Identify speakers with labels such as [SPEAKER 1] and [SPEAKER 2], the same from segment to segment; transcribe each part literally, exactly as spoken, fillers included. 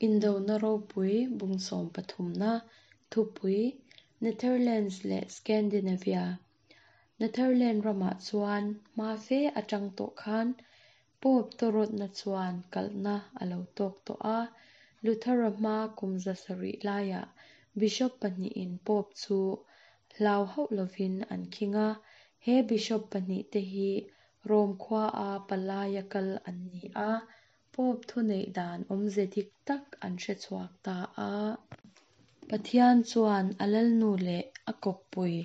[SPEAKER 1] Indona ropui bung sawm pathumna thupui Netherlands leh Scandinavia. Netherlands ramah chuan hma fe atang tawh khan Pope tawrawtna chuan kalhna a lo tawk tawh a. Luthera hma kum za sarih laiah Bishop pahnihin Pope chu hlau hauh lovin an khing a. He Bishop pahnih te hi Rome khua a palaia kal an ni a. Pope thuneih dan awmze dik tak an hre chhuak ta a. Pathian chuan a lalnu leh a kawppui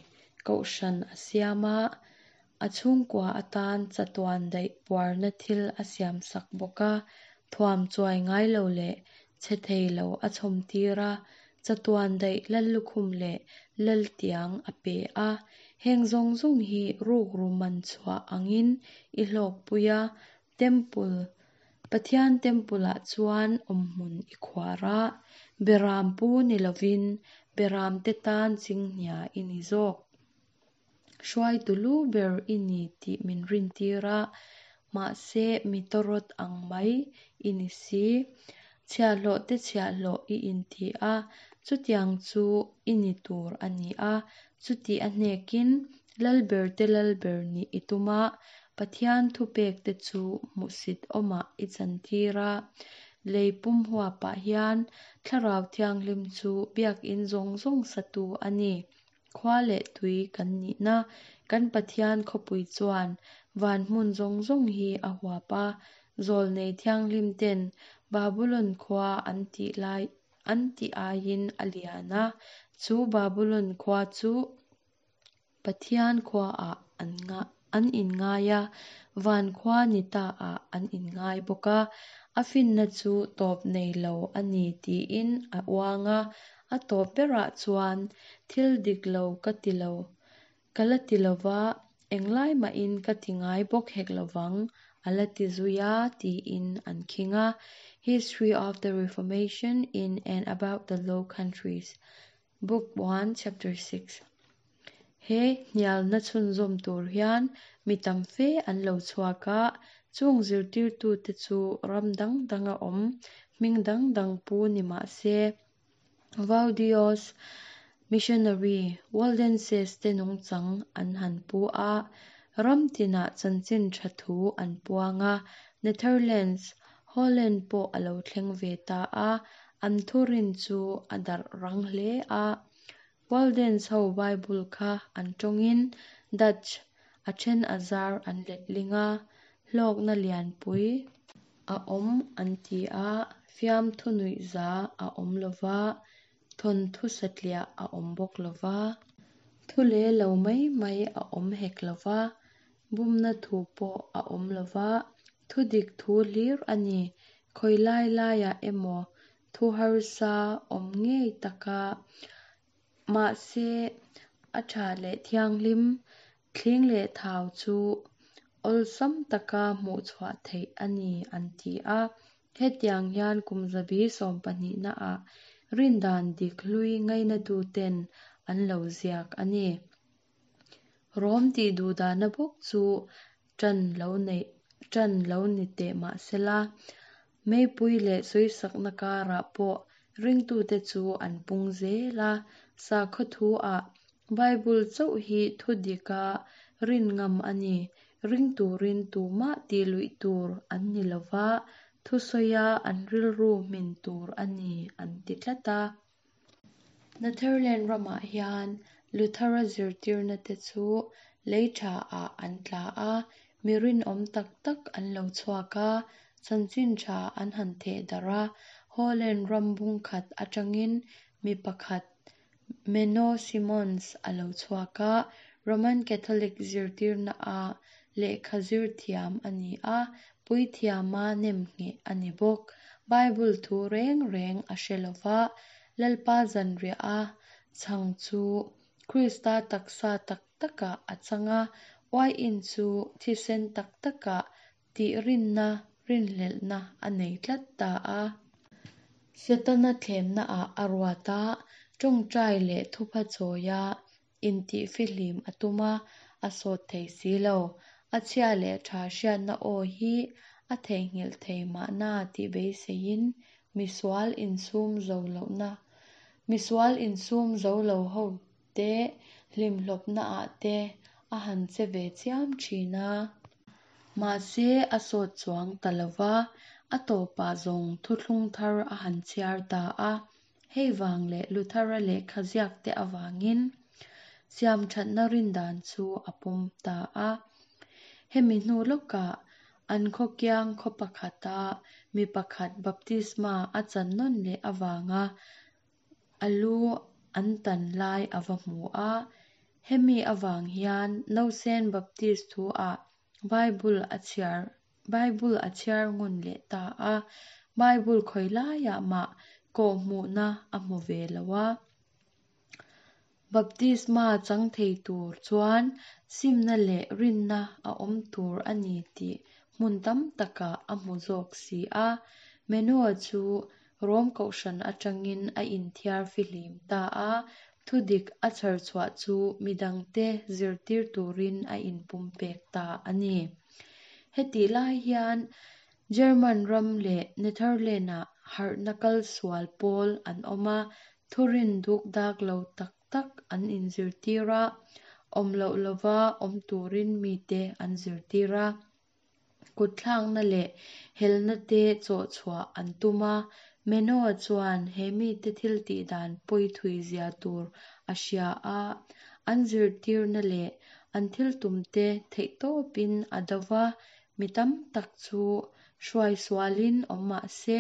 [SPEAKER 1] kohhran a siam a, a chhungkua atan chatuan daih puarna thil a siam sak bawk a, thuam chuai ngai lo leh chhe thei lo a chhawm tir a, chatuan daih lallukhum leh laltiang a pe a. Heng zawng zawng hi rukru man chhuah angin i hlawkpui a, temple Pathian temple-ah chuan awmhmun i khuar a, beram pu ni lovin beram te tan chinghnia i ni zawk. Hruaitu lu ber i ni tih min rintir a, mahse mi tawrawt ang mai i ni si. Chhiahhlawh te chhiahhlawh i inti a, chutiang chu i ni tur a ni a, chuti a hnekin lalber te lalber nih i tum a, Pathian thupek te chu hmuhsit awmah i chantir a. Lei pum huapah hian Thlarau Thianghlim chu biakin zawng zawng satu a ni. Khua leh tui kan nihna kan Pathian khawpui chuan van hmun zawng zawng hi a huap a. Zawlnei Thianghlim ten Babulon khua an tih lai an tih aiin a lian a, chu Babulon khua chu Pathian khuaah an nga an inngai a, van khua ni ta ah an inngai bawk a. A finna chu tawp nei lo a ni tiin a uang a, a tawp berah chuan thil dik lo ka ti lo, ka la ti lova, englai mahin ka ti ngai bawk hek lovang a la ti zui a tiin an khing a. History of the Reformation in and About the Low Countries, Book one, Chapter six. He hnialna chhunzawm tur hian mi tam fe an lo chhuak a, chung zirtirtute chu ram dang danga awm, hming dang dang pu ni mah se. Vaudios, Missionary, Waldenses te nungchang an han pu a, ram tinah chanchin tha thu an puang a, Netherlands, Holland pawh a lo thleng ve ta a, an thurin chu a darh rang hle a. Waldens ho Bible kha an tawngin Dutch a then a zar an letling a, hlawkna lianpui a awm an ti a, fiamthu nuihza a awm lova, thawnthu satliah a awm bawk lova, thu le lo mai mai a awm hek lova, bumna thu pawh a awm lova, thu dik thu hlir a ni. Khawi lai laiah emaw thu harsa awm ngei taka mahse a tha leh thianghlim, thling leh thau chu awlsam taka hmuh chhuah theih a ni an ti a. Hetiang hian kum zabi sawm pahnihna ah rindan dik hlui ngainatuten an lo ziak a ni. Rom tih duhdahna bawk chu tan lo neih tan lo ni teh mahsela, meipui leh sawisakna karah pawh ringtute chu an pung zel a. Sakhaw thu ah Bible chauh hi thu dika rin ngam a ni. Ring turin tumah tih luih tur an ni lova, thu sawia an rilru hmin tur a ni an ti tlat a. Netherlands ramah hian Luthera zirtirna te chu lei tha ah an tla a, mi rinawm tak tak an lo chhuak a, chanchin tha an han theh darh a. Holland ram bung khat atangin mi pakhat Menno Simons a lo chhuak a, Roman Catholic zirtirna a lehkha zir thiam a ni a, puithiama nemngheh a ni bawk. Bible thu reng reng a hre lova, Lalpa zanriah a chhang chu Krista taksa tak takah a chang a, uaiin chu thisen tak takah tih rinna rinhlelhna a nei tlat ta a. Setana thlemna ah a ruat a, tawngtai leh thupha chawia intih fihlim a tum a, a sawt thei si lo. A chhia leh tha hriatna aw hi a theihnghilh thei mahna tih beiseiin Misual insum zo lohna Misual insum zo lo ho te hlimhlawpna ah te a han che ve chiam thin a. Mahse a sawt chuang ta lova, a tawpah zawng thuthlung thar a han chhiar ta a. Hei vang leh Luthera lehkha ziak te avangin siam thatna rin dan chu a pawm ta a. Hemi hnu lawkah an khaw kiang khaw pakhata mi pakhat baptisma a chan nawn leh avanga a lu an tan lai a va hmu a. Hemi avang hian Nausen Baptist thu ah Bible a chhiar Bible a chhiar ngun leh ta a. Bible khawi laiah mah kawhhmuhna a hmu ve lo a. Baptisma chang thei tur chuan simna leh rinna a awm tur a ni tih hmun tam takah a hmu zawk si a. Menno-a chu Rom kohhran atangin a inthiar fihlim ta a. Thudik a chhar chhuah chu midangte zirtir turin a inpumpek ta a ni. Hetih lai hian German ram leh Netherlands-ah harhna kal sual pawl an awm a, thurin duk dak lo tak tak an inzirtir a, awm loh lova awm turin mite an zirtir a. Kutthlakna leh helna te chawh chhuah an tum a. Menno-a chuan he mite thil tih dan pawi thui zia tur a hria a, an zirtirna leh an thil tum te theih tawpin a do va, mi tam tak chu hruai sualin awm mahse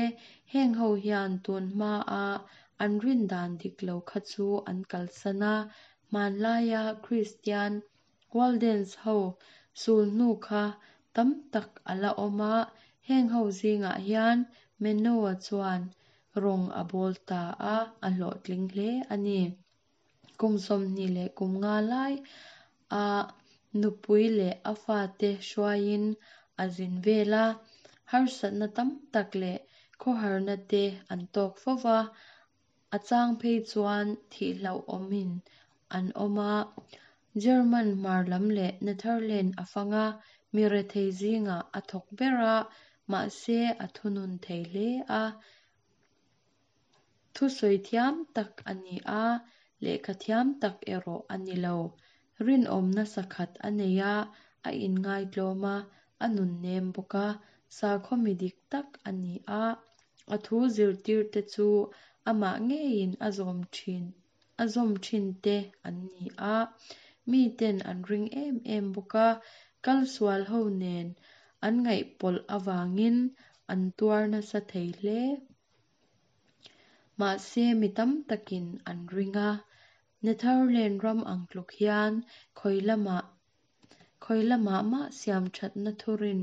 [SPEAKER 1] heng ho hian tun hma a an rin dan dik lo kha chu an kalsan a. Hmanlaia Christian Waldens ho sul hnu kha tam tak a la awm a, heng ho zingah hian Menno-a chuan rawng a bawl ta a, a hlawhtling hle a ni. Kum sawmhnih leh kum nga lai a nupui leh a fate hruaiin a zin vel a, harsatna tam tak leh khawharna te an tawk fo va, a chang phei chuan thih hlauhawmin an awm a. German hmar lam leh Netherlands a fang a, mi rethei zingah a thawk ber a, mahse a thunun thei hle a. Thusawi thiam tak a ni a, lehkha thiam tak erawh a ni lo. Rinawmna sakhat a nei a, a inngaitlawm a, a nun nem bawk a, sakhaw mi dik tak a ni a. A thu zirtir te chu amah ngeiin a zawm thin a zawm thin te an ni a. Miten an ring em em bawk a, kal sual ho nen an ngaihpawlh avangin an tuar nasa thei hle. Mahse mi tam takin an ring a. Netherlands ram ang tluk hian khawi lamah khawi lamah mah siam thatna thurin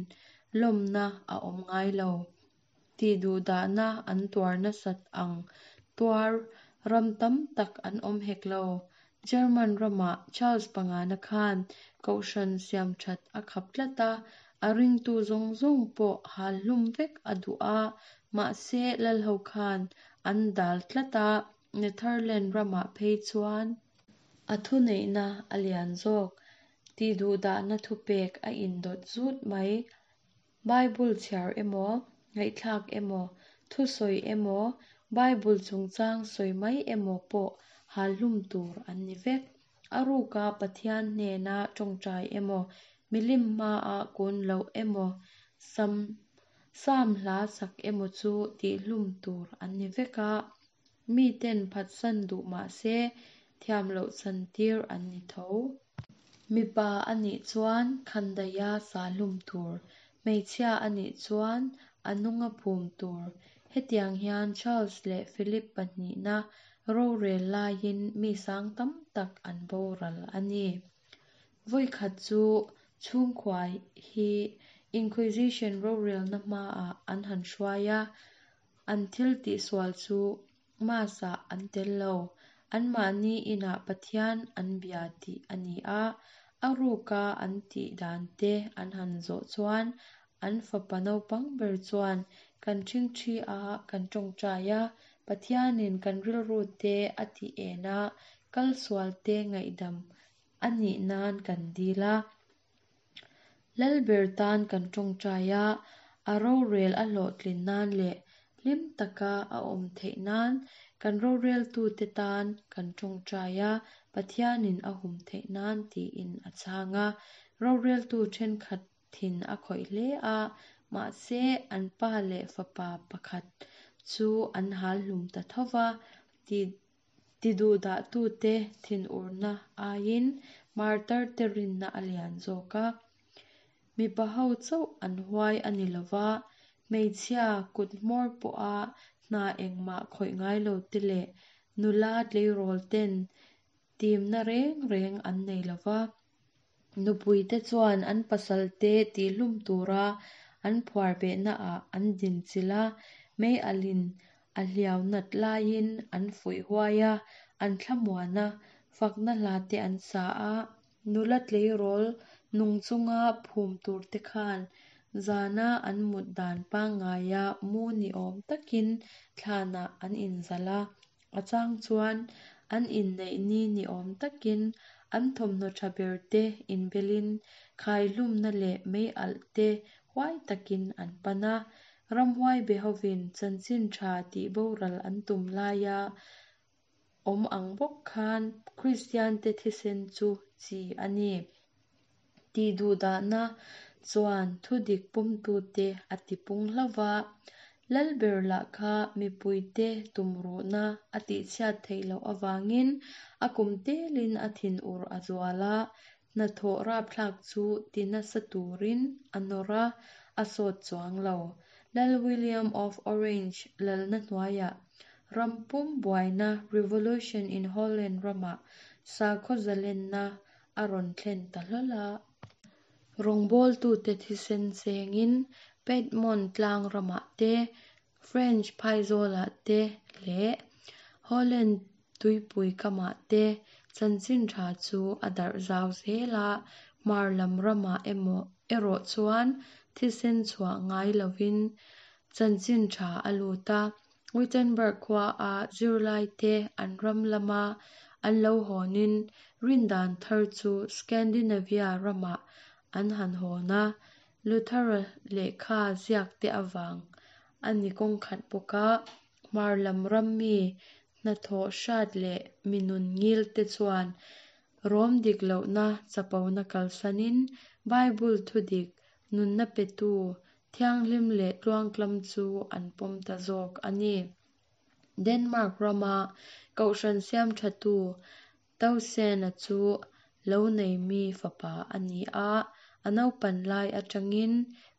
[SPEAKER 1] lawmna a awm ngai lo. Tihduhdahna an tuar nasat ang tuar ram tam tak an awm hek lo. German ramah Charles pangana khan kohhran siam that a khap tlat a, a ringtu zawng zawng pawh hal hlum vek a duh a, mahse lal ho khan an dal tlat a. Netherlands ramah phei chuan a thuneihna a lian zawk. Tihduhdahna thupek a indawt zut mai. Bible chhiar emaw, ngaihthlak emaw, thusawi emaw, Bible chungchang sawi mai emaw pawh hal hlum tur an ni vek. A ruka Pathian hnena tawngtai emaw, milim hmaah kun loh emaw, sam sam hla sak emaw chu tihhlum tur an ni vek a. Miten phatsan duh mahse thiam loh chan tir an ni tho. Mipa anih chuan khandaia sa hlum tur, hmeichhia anih chuan a nunga phum tur. Hetiang hian Charles leh Philip pahnihna rorel laiin mi sang tam tak an boral a ni. Vawikhat chu chhungkua hi Inquisition rorelna hmaah an han hruai a, an thil tihsual chu Mass-ah an tel lo. Anmahni inah Pathian an bia tih a ni a, a ruka an tih dan te an han zawh chuan an fapa naupang ber chuan kan ṭhingṭhi a, kan tawngtai a, Pathianin kan rilru te a tih en a, kal sual te ngaihdam a nih nan kan dil a. Lalber tan kan tawngtai a, a rorel a hlawhtlin nan leh hlim taka a awm theih nan kan roreltute tan kan tawngtai a, Pathianin a hum theih nan tiin a chhang a. Roreltu thenkhat thin a khawih hle a, mahse an pa leh fapa pakhat chu an hal hlum ta tho va. Ti tiduhdahtute thinurna aiin martarte rinna a lian zawk a. Mipa ho chauh an huai a ni lo va, hmeichhia kut hmawr pawha hna engmah khawih ngai lo te leh nula tleirawl ten timna reng reng an nei lo va. Nupuite chuan an pasalte tihlum tura an phuar behnaah an dinchilh a, mei alhin a hliau nat laiin an fuih huai a, an thlamuan a, fakna hlate an sa a. Nula tleirawl nung chunga phum turte khan zana an mut dan pangngaia mu ni awm takin thlanah an inzalh a. A chang chuan an inneih ni ni awm takin an thawmhnaw tha berte inbelin khaihlumna leh mei alh te huai takin an pan a. Ramhuai be hovin chanchin tha tih boral an tum laia awm ang bawk khan Kristiante thisen chu chi a ni. Tiduhdahna chuan thudik pawmtute a tipung hlauh va. Lalber lah kha mipuite tumruhna a tihchhiat theih loh avangin a kum telin a thinur a zual a, hnathawh rapthlak chu ti nasa turin a nawr a, a sawt chuang lo. Lal William of Orange lalna hnuaiah rampum buaina Revolution in Holland ramah sakhaw zalenna a rawn thlen ta hlawl a. Rawngbawltute thisen chengin Piedmont tlang ramah te, French phaizawlah te leh Holland tuipui kamah te chanchin tha chu a darh zau zel a. Hmar lam ramah emaw erawh chuan thisen chhuah ngai lovin chanchin tha a lut a. Wittenberg khua a zirlaite an ram lama an lo hawnin rindan thar chu Scandinavia ramah an han hawn a. Luthera lehkha ziak te awang ani kawng khat bawk a. Hmar lam ram mi hnathawh hrat leh mi nun ngil te chuan rawm dik lohna chapona kalsanin Bible thudik nunna petu thianghlim leh tluangtlam chu an pawm ta zawk a ni. Denmark rama kohhran siam thatu Tausen-a chu lo nei mi fapa a ni a. A naupan lai atangin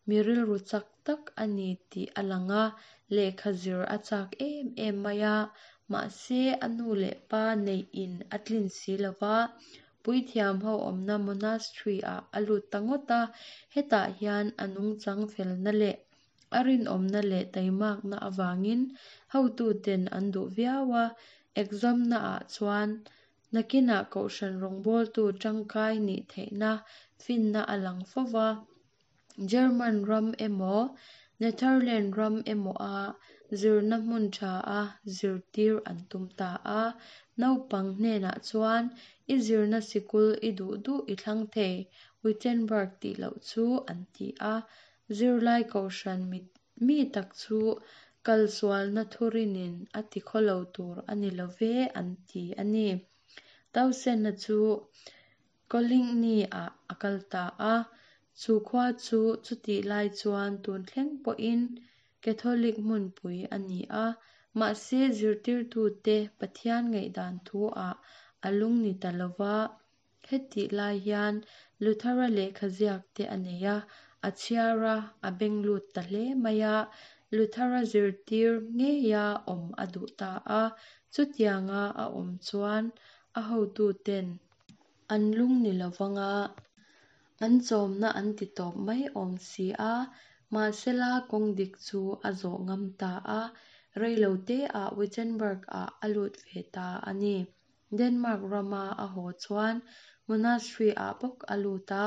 [SPEAKER 1] mi rilru chak tak a ni tih a lang a, lehkha zir a chak em em mai a. Mahse a nu leh pa neih in a tlin si lo va, puithiam ho awmna monastery ah a lut ta ngawt a. Hetah hian a nungchang felna leh a rinawmna leh taimakna awangin hotuten an duh viau a. Exam na ah chuan nakinah kohhran rawngbawltu tangkai nih theihna finna a lang fo va. German ram emaw Netherland ram emaw a zirna hmun tha a zirtir an tum ta a. Naupang hnenah chuan i zirna sikul i duh duh i thlang thei Wittenberg tih loh chu an ti a. Zirlai kohhran mi mi tak chu kalsualna thurinin a ti khawlo tur a ni love an ti a ni. Tausen-a chu Coligny ah a kal ta a. Chu khua chu chutih lai chuan tun thleng pawhin Catholic hmunpui a ni a. Mahse zirtirtute Pathian ngaihdan thu ah a lung ni ta lo va. Hetih lai hian Luthera lehkha ziak te a nei a, a chhiar a, a beng lut ta hle mai a. Luthera zirtir ngeia awm a duh ta a. Chutianga a awm chuan a hotuten an lung ni lo vanga an chawmna an ti tawp mai awm si a. Mahsela kawng dik chu a zawh ngam ta a. Reilo te ah Wittenberg ah a lut ve ta a ni. Denmark rama a haw chuan monastery ah bawk a lut a.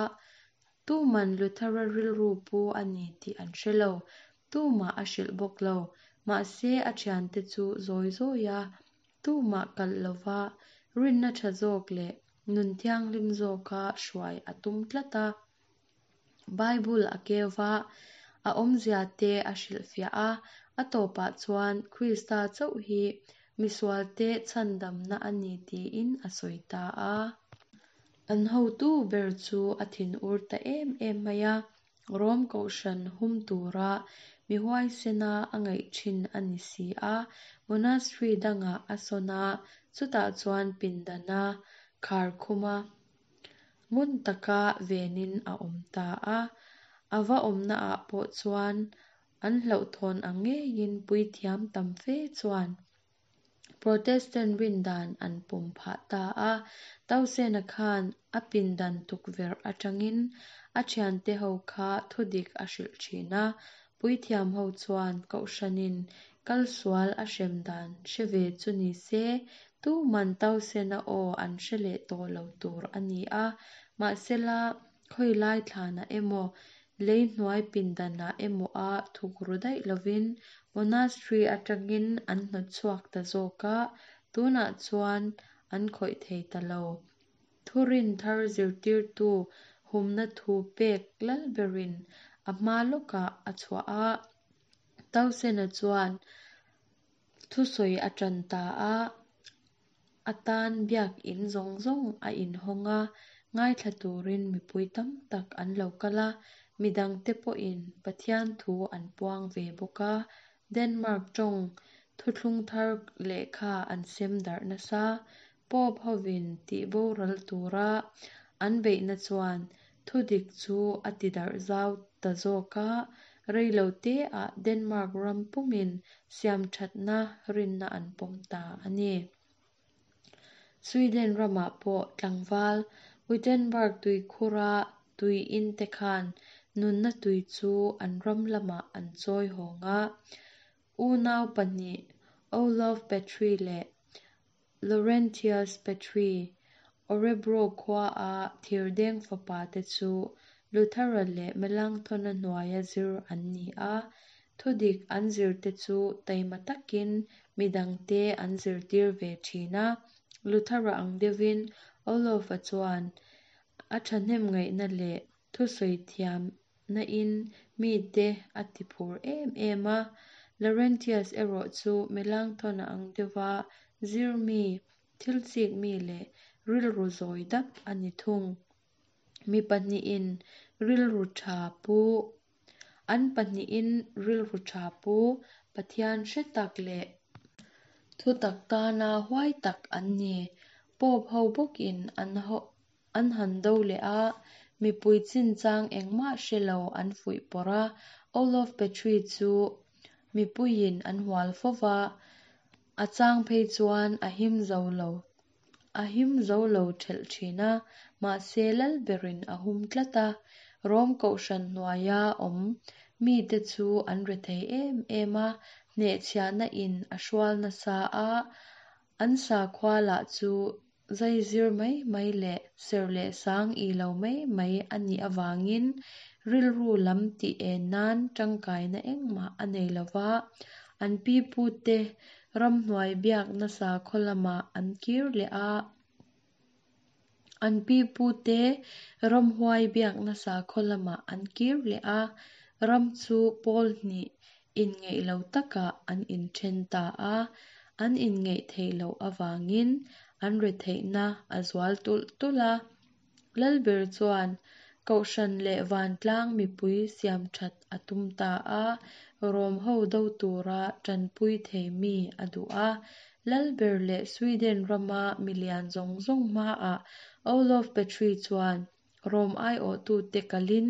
[SPEAKER 1] Tuman Luthera rilru pu a ni tih an hre lo. Tumah a hrilh bawk lo. Mahse a thiante chu zawi zawi a. Tumah kalh lova rinna tha zawk leh nun thianghlim zawka hruai a tum tlat a. Bible a keu va, a awmzia te a hrilh fiah a, A tawpah chuan Krista chauh hi misualte chhandamna a ni tiin a sawi ta a. An hotu ber chu a thinur ta em em mai a, Rom kohhran hum tura mi huaisena a ngaih thin a ni si a. Monastery dangah a sawn a, chutah chuan pindana khar khum a, ngun taka venin a awm ta a. A va awmnaah pawh chuan an hlauhthawn ang ngeiin puithiam tam fe chuan Protestant rindan an pawm phah ta a. Tausena khan a pindan tukverh atangin a thiante ho kha thudik a hrilh thin a. Puithiam ho chuan kohhranin kalsual a hrem dan hre ve chu ni se, tuman Tausena aw an hre leh tawh lo tur a ni a. Mahsela khawilai thlanah emaw, lei hnuai pindanah emaw a thukru daih lovin monastery atangin an hnawtchhuak ta zawk a, tunah chuan an khawih thei ta lo. Thurin thar zirtirtu humna thu pek lalberin a hma lawkah a chhuah a. Tausena chuan thusawi a tan ta a, a tan biak in zawng zawng a inhawng a, ngaithla turin mipui tam tak an lo kal a, midangte pawhin Pathian thu an puang ve bawk a. Denmark tawng thuthlung thar lehkha an sem darh nasa. Pope hovin tihboral tura an beihna chuan thudik chu a ti darh zau ta zawk a. Reiloteah Denmark ram pumin siamthatna rinna an pawm ta a ni. Sweden ramah pawh tlangval Wittenberg tuikhura tui in te khan nunna tui chu an ram lamah an chawi hawng a. Unau pahnih Olaf Petri leh Laurentius Petri, Orebro khua a thirdeng fapa te chu Luthera leh Melanchthona hnuaia zir an ni a. Thudik an zir te chu taima takin midangte an zirtir ve thin a. Luthera ang deuhin Olaf-a chuan a thahnem ngaihna leh thusawi thiamna in mite a ti phur em em a. Laurentius erawh chu Melanchthona ang deuha zir mi, thil chik mi leh rilru zawi dap a ni thung. Mi pahnihin rilru tha pu, an pahnihin rilru tha pu, Pathian hre tak leh thutak tana huai tak an ni. Pope ho bawkin an ho an han do leh a, mipui chinchang engmah hre lo an fuih pawrh a. Olaf Petri chu mipuiin an hual fova, a chang phei chuan a him zo lo a him zo lo thelh thin a, mahse lalberin a hum tlat a. Rom kohhran hnuaia awm mite chu an rethei em em a, hnehchhiahna in a hrual nasa a, an sakhua lah chu zaizir mai mai leh ser leh sang i lo mai mai a nih awangin rilru lam tih en nan tangkaina engmah a nei lova. An pipute ramhnuai biakna sakhaw lamah an kir leh a. An pipute ramhuai biakna sakhaw lamah an kir leh a. Ram chu pawl hnih inngeih lo takah an inthen ta a. An inngeih theih loh awangin an retheihna a zual tulh tulh a. Lalber chuan kohhran leh vantlang mipui siamthat a tum ta a. Rom ho do tura tanpui thei mi a duh a. Lalber leh Sweden rama milian zawng zawng hmaah Olaf Petri chuan Rom aiawhtute kalin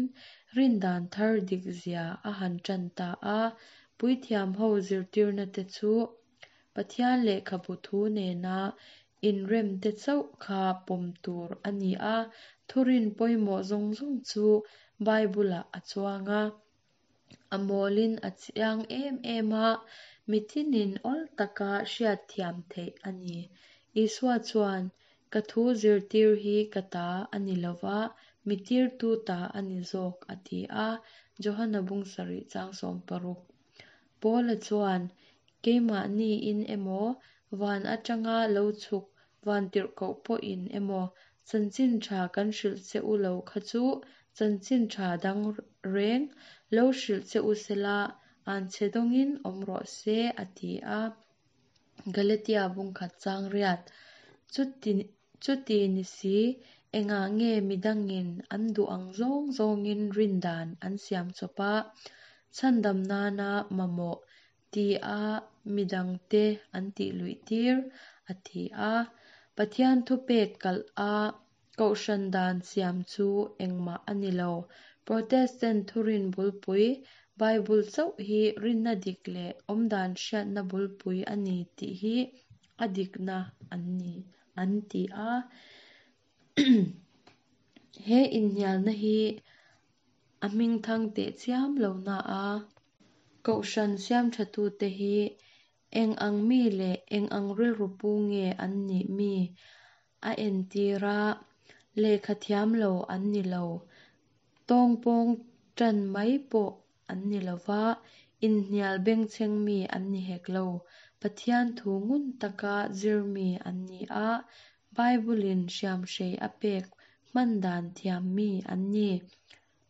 [SPEAKER 1] rindan thar dik zia a han tan ta a. Puithiam ho zirtirna te chu Pathian lehkhabu thu nena inrem te chauh kha pawm tur a ni a. Thurin pawimawh zawng zawng chu Bible-ah a chuang a. A mawlin a chiang em em a, mitinin awl taka hriat thiam theih a ni. Isua chuan, Ka thu zirtir hi ka ta a ni lova, mi tirtu ta a ni zawk a ti a. Johana bung sarih chang sawm paruk. Paula chuan, Keimahniin emaw, van atanga lo chhuk van tirhkoh pawhin emaw, chanchin tha kan hrilh che u lo kha chu chanchin tha dang reng lo hrilh che u sela anchhe dawngin awm rawh se, a ti a. Galatia bung khat chang riat. Chuti chuti ni si, engah nge midangin an duh ang zawng zawngin rindan an siam chawp a, chhandam nana mamawh ti a midangte an tih luih tir, a ti a. Pathian thupek kalh a kohhran dan siam chu engmah a ni lo. Protestant thurin bulpui, Bible chauh hi rinna dik leh awmdan hriatna bulpui a ni tih hi a dikna an ni, an ti a. He inhnialna hi a hmingthang tehchiam lo na a. Kohhran siamthatute hi eng ang mi leh eng ang rilru pu nge an nih mi a entir a, lehkha thiam lo an ni lo. Tawngpawng tan mai pawh an ni lo va, inhnial bengchheng mi an ni hek lo. Pathian thu ngun taka zir mi an ni a, Bible-in hriamhrei a pek hman dan thiam mi an ni.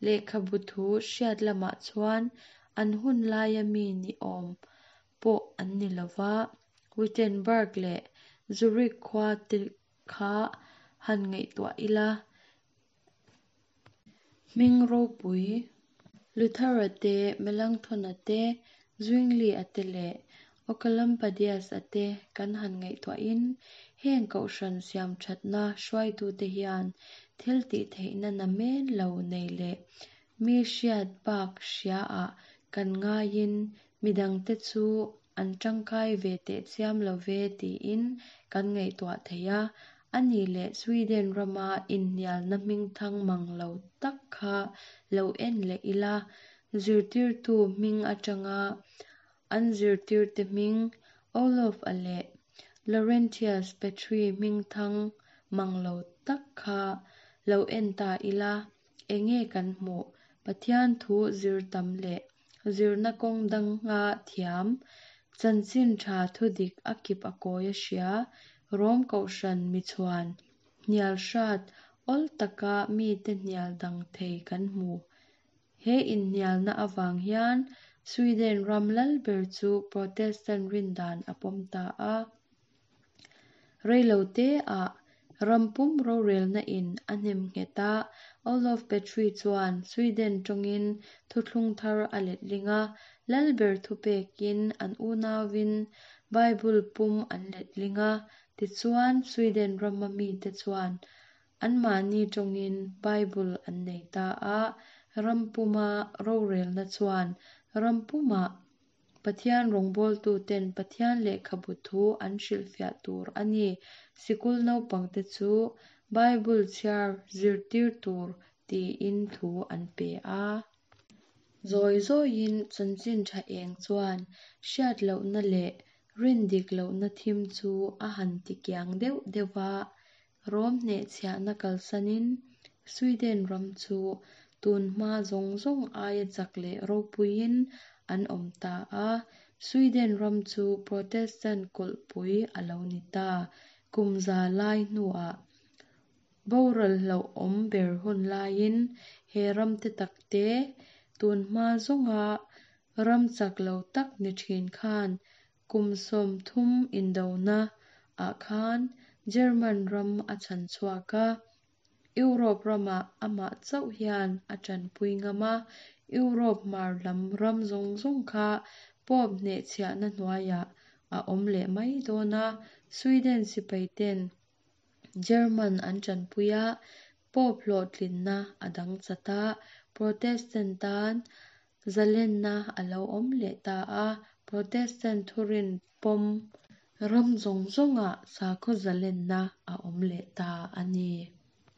[SPEAKER 1] Lehkhabu thu hriat lamah chuan an hun laia mi ni awm pawh an ni lo va, Wittenberg leh Zurich khua te kha han ngaihtuah ila. Hming ropui Luther-a te, Melanchthon-a te, Zwingli-a te leh Oecolampadius-a te kan han ngaihtuahin heng kohhran siamthatna hruaitute hian thil tih theihna namen lo nei leh mi hriat bak hria-ah kan ngaiin midangte chu an tangkai ve tehchiam lo ve tiin kan ngaihtuah thei a. A nih leh Sweden rama inhnialna hmingthang mang lo tak kha lo en leh ila, zirtirtu hming atanga an zirtirte hming Olof-a leh Laurentius Petri hmingthang mang lo tak kha lo en ta ila, enge kan hmuh? Pathian thu zir tam leh zirna kawng danga thiam, chanchin tha thudik a kip a kawi a hria, Rom kohhran michhuan, hnial hrat, awl taka mite hnial dang thei kan hmu. He inhnialna avang hian Sweden ram lalber chu Protestant rindan a pawm ta a. Reilote ah rampum rorelna in a hnem nghet a, Olof Petri chuan Sweden tawngin thuthlung thar a letling a, lalber thupekin an unauin Bible pum an letling a, tichuan Sweden rama mite chuan anmahni tawngin Bible an nei ta a, rampuma rorelna chuan rampuma Pathian rawngbawltuten Pathian lehkhabu thu an hrilhfiah tur a ni. Sikul naupangte chu Bible chhiar zirtir tur tiin thu an pe a. Zawi zawiin chanchin tha eng chuan hriat lohna leh rin dik lohna thim chu a han tikiang deuh deuh va, Rom hnehchhiahna kalsanin Sweden ram chu tun hma zawng zawng aia chak leh ropuiin an awm ta a. Sweden ram chu Protestant kulhpui a lo ni ta. Kum za lai hnuah boral hlauhawm ber hun laiin he ram te takte tun hma zawnga ram chak lo tak ni thin khan kum sawmthum indona ah khan German ram a chhan chhuak a. Europe ramah amah chauh hian a tanpui ngam a, Europe hmar lam ram zawng zawng kha Pope hnehchhiahna hnuaiah a awm leh mai dawn a. Sweden sipaiten German an tanpui a, Pope hlawhtlinna a dang chat a, Protestant tan zalenna a lo awm leh ta a, Protestant thurin pawm ram zawng zawngah sakhaw zalenna a awm leh ta a ni.